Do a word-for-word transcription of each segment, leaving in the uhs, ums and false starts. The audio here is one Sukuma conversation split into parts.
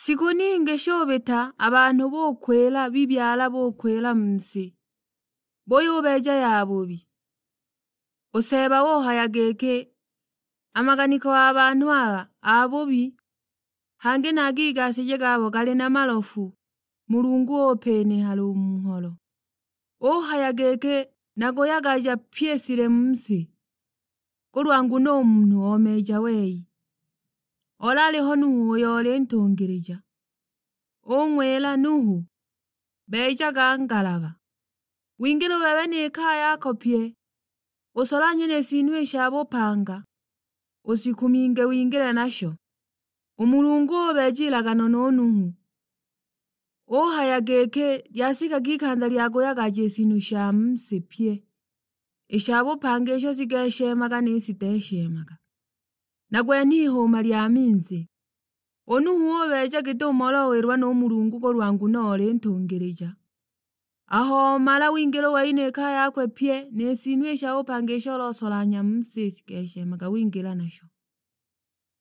Shikū ningī shūbita, a banhū būkwīla bibyala būkwīla mu sī, būyūbeeja yabubi. Ū Seeba ūhaya gīkī, "A maganiko a banhū aba abūbi, hangī na a gigasīje gabo galī na malofu, Mulungu ūpīnīhala ū mu ng'holo." Ūhaya gīkī, "Nakūyagaja pyī ī silemu mu sī, kūlwa nguno ū munhū omeeja wei." Olaalīho Nuhu ūyo olī ntūngīlīja. Ūng'wīla Nuhu, "Beejaga ngalaba, wingīle ū bebe nī kaya yako pye, ūsolanhye nī sīnū ī sha būpanga, ūsikuminge wingīle nasho." Ū Mulungu ūbeeja ilagano nū Nuhu, ūhaya gīkī, "Lyasikaga ikanza lya kūyagaja ī sīnū sha mu sī pye, ī sha būpanga īsho shigeeshemaga nī shiteeshemaga, nagwenhe ihūūma lya minzī." Ū Nuhu ūbeeja gīt'umo olowīlwa nū Mulungu kūlwa nguno olī ntūngīlīja. Aho omala wingīla ū wei nī kaya yakwe pye, nī sīnū ī sha būpanga īsho olosolanhya mu sī shigeeshemaga wingīla nasho.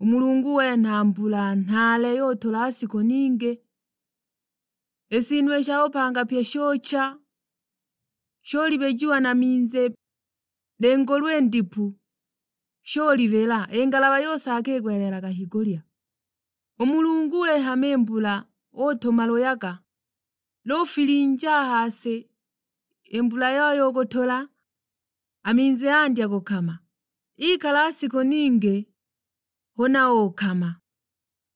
Ū Mulungu wenha mbula nhaale yūtūla shikū ningī. Ī sīnū ī sha būpanga pye shūcha, shūlibejiwa na minzī, nī ngolwe ndipu shūlibila, ī ngalaba yūsaaka īgwelelaga higūlya. Ū Mulungu wīhama ī mbula, ūtūma lūyaga, lūfilinja a ha sī, ī mbula yooyo ūgūtūla, a minzī yandya kūkama. Īkala shikū ningī, hūna ūkama.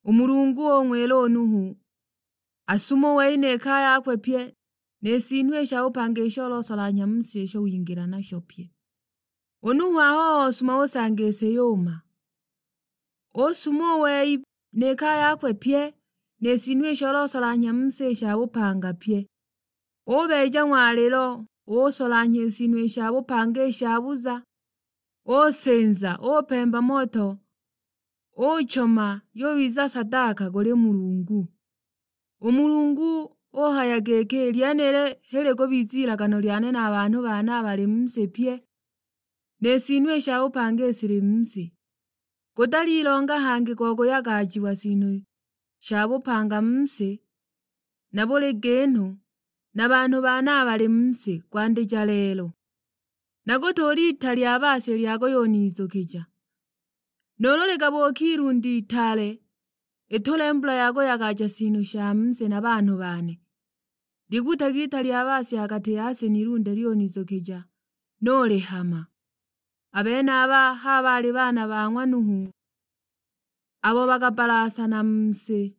Ū Mulungu ūng'wīla ū Nuhu, asume ū wei nī kaya yakwe pye, nī sīnū ī sha būpanga īsho olosolanhya mu sī īsho wingīla nasho pye. Ū Nuhu aho osuma ūsanga ī sī yūūma. Ūsume ū wei nī kaya yakwe pye, nī sīnū īsho olosolanhya mu sī ī sha būpanga pye. Ūbeeja ng'walīlo, ūsolanhya ī sīnū ī sha būpanga ī shabuza, ūsīnza, ūpemba moto, ūchoma, yūbiza sadaka kūlī Mulungu. Ū Mulungu ūhaya gīkī, "Lyenīlī h'ī līkūbiza ilagano lyane na banhū bane abalī mu sī pye, nī sīnū ī sha būpanga ī shilī mu sī. Gūtalī longa hangī go kūyagajiwa sīnū sha būpanga mu sī, na būlī gīnū, na banhū bane abalī mu sī, kwandīja lelo. Nagūtūūla ita lya baasya lya kūyūnizūkīja, nūūlū ligabūke ilunde itaale, ītūle mbula ya kūyagaja sīnū sha mu sī na banhū bane. Ligūtage ita lya baasya ha gatī ya sī n'ilunde lyūnizūkīja, nūlihama." A benaba h'a baalī baana ba ng'wa Nuhu, abo bakabbalaasana mu sī.